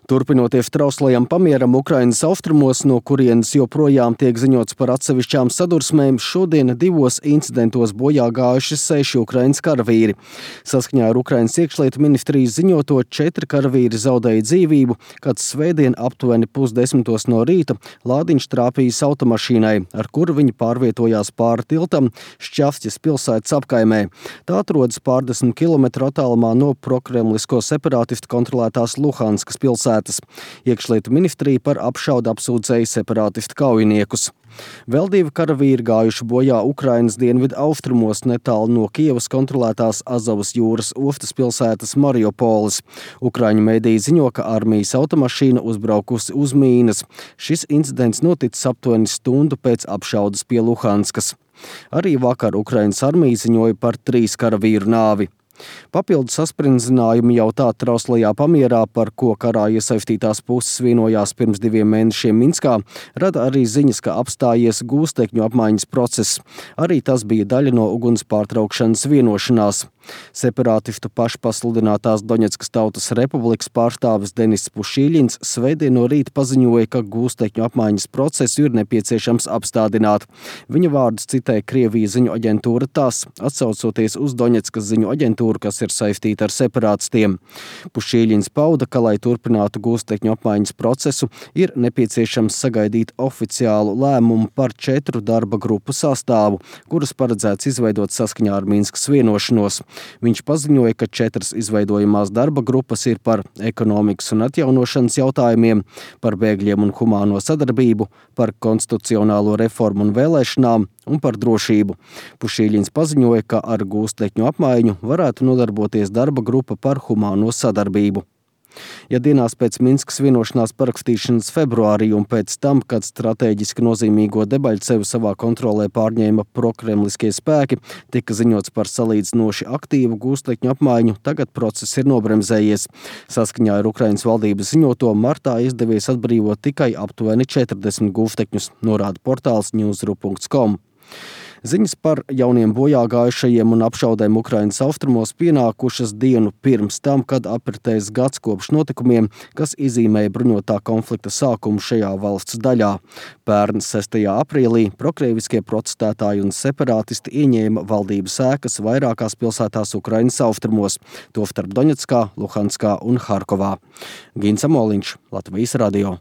Turpinoties trauslajam pamieram Ukrainas austrumos, no kurienes joprojām tiek ziņots par atsevišķām sadursmēm, šodien 2 incidentos bojā gājuši 6 Ukrainas karavīri. Saskaņā ar Ukrainas iekšlietu ministrijas ziņoto 4 karavīri zaudēja dzīvību, kad svētdien aptuveni 9:30 no rīta lādiņš trāpījis automašīnai, ar kuru viņi pārvietojās pāri tiltam Šķavsķes pilsētas apkaimē. Tā atrodas pārdesmit kilometru attālumā no prokremlisko separātistu kontrolētās Luhanskas pilsētas. Iekšlietu ministrija par apšaudu apsūdzēja separātistu kaujiniekus. Vēl 2 karavīri gājuši bojā Ukrainas dienvidu austrumos netālu no Kievas kontrolētās Azovas jūras ostas pilsētas Mariupolis. Ukraiņu mediji ziņo, ka armijas automašīna uzbraukusi uz mīnas. Šis incidents noticis aptuveni stundu pēc apšaudas pie Luhanskas. Arī vakar Ukrainas armija ziņoja par 3 karavīru nāvi. Papildu sasprindzinājumu jau tā trauslajā pamierā, par ko karā iesaistītās puses vienojās pirms 2 mēnešiem Minskā, rada arī ziņas, ka apstājies gūstekņu apmaiņas process. Arī tas bija daļa no uguns pārtraukšanas vienošanās. Separātistu pašpasludinātās Doņetskas Tautas Republikas pārstāvis Denis Pušīļins svētdien no rīta paziņoja, ka gūstekņu apmaiņas procesu ir nepieciešams apstādināt. Viņa vārdus citē Krievijas ziņu aģentūra TASS, atsaucoties uz Doņetskas ziņu aģentūru, kas ir saistīta ar separātistiem. Pušīļins pauda, ka, lai turpinātu gūstekņu apmaiņas procesu, ir nepieciešams sagaidīt oficiālu lēmumu par 4 darba grupu sastāvu, kurus paredzēts izveidot saskaņā ar Minskas vienošanos. Viņš paziņoja, ka 4 izveidojamās darba grupas ir par ekonomikas un atjaunošanas jautājumiem, par bēgļiem un humāno sadarbību, par konstitucionālo reformu un vēlēšanām un par drošību. Pušīļins paziņoja, ka ar gūstekņu apmaiņu varētu nodarboties darba grupa par humāno sadarbību. Ja dienās pēc Minskas vienošanās parakstīšanas februārī un pēc tam, kad stratēģiski nozīmīgo Debaļcevu savā kontrolē pārņēma prokremliskie spēki, tika ziņots par salīdzinoši aktīvu gūstekņu apmaiņu, tagad process ir nobremzējies. Saskaņā ar Ukrainas valdības ziņoto martā izdevies atbrīvot tikai aptuveni 40 gūstekņus, norāda portāls newsru.com. Ziņas par jauniem bojāgājušajiem un apšaudēm Ukrainas austrumos pienākušas dienu pirms tam, kad apritējis gads kopš notikumiem, kas izīmēja bruņotā konflikta sākumu šajā valsts daļā. Pērn 6. aprīlī prokrieviskie protestētāji un separātisti ieņēma valdības ēkas vairākās pilsētās Ukrainas austrumos, tostarp Doņetskā, Luhanskā un Harkovā. Gins Amoliņš, Latvijas radio.